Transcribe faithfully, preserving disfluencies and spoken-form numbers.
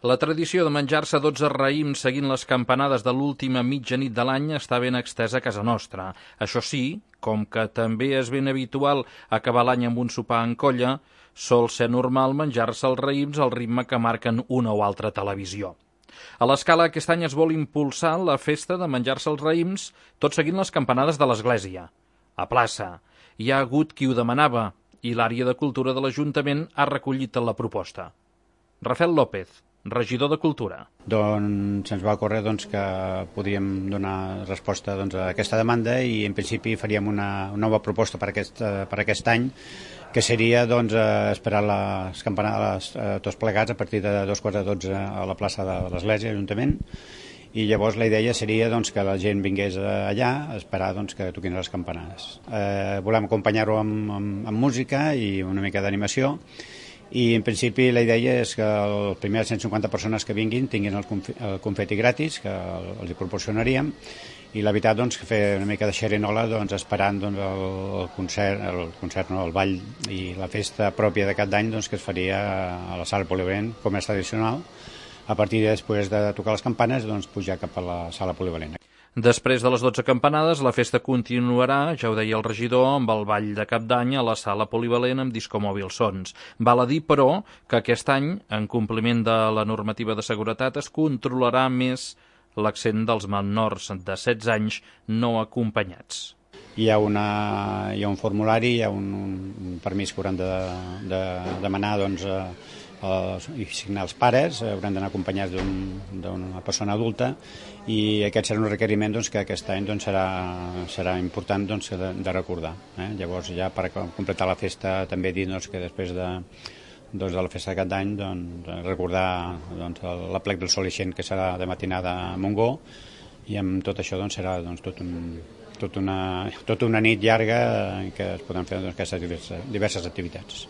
La tradició de menjar-se dotze raïms seguint les campanades de l'última mitjanit de l'any està ben extesa a casa nostra. Això sí, com que també és ben habitual acabar l'any amb un sopar en colla, sol ser normal menjar-se els raïms al ritme que marquen una o altra televisió. A l'Escala aquest any es vol impulsar la festa de menjar-se els raïms tot seguint les campanades de l'església. A plaça hi ha hagut qui ho demanava i l'àrea de cultura de l'Ajuntament ha recollit la proposta. Rafael López, regidor de Cultura. Doncs ens va ocórrer doncs, que podíem donar resposta doncs, a aquesta demanda i en principi faríem una, una nova proposta per aquest, per aquest any, que seria doncs, esperar les campanades eh, tots plegats a partir de dos quarts de dotze a la plaça de l'Església, l'Ajuntament, i llavors la idea seria doncs, que la gent vingués allà a esperar doncs, que toquin les campanades. Eh, volem acompanyar-ho amb, amb, amb música i una mica d'animació, i en principi la idea és que les primeres cent cinquanta persones que vinguin tinguin el, conf el confeti gratis, que els hi proporcionaríem, i la veritat doncs, que fer una mica de xerinola doncs, esperant doncs, el concert, el concert no, el ball i la festa pròpia d'aquest any doncs, que es faria a la sala polivalent, com és tradicional, a partir de després de tocar les campanes doncs, pujar cap a la sala polivalent. Després de les dotze campanades, la festa continuarà, ja ho deia el regidor, amb el ball de Cap d'Any a la sala polivalent amb discomòbil sons. Val a dir, però, que aquest any, en compliment de la normativa de seguretat, es controlarà més l'accent dels menors de setze anys no acompanyats. Hi ha, una, hi ha un formulari, hi ha un, un permís que hauran de, de demanar doncs, eh, i signar els pares, hauran d'anar acompanyats d'una un, persona adulta, i aquest serà un requeriment doncs, que aquest any doncs, serà, serà important doncs, de, de recordar. Eh? Llavors, ja per completar la festa, també dir doncs, que després de, doncs, de la festa d'aquest any doncs, recordar doncs, l'aplec del Sol Ixent, que serà de matinada a Montgó, i amb tot això doncs, serà doncs, tot un, tot una, tota una nit llarga en què es poden fer doncs, aquestes diverses, diverses activitats.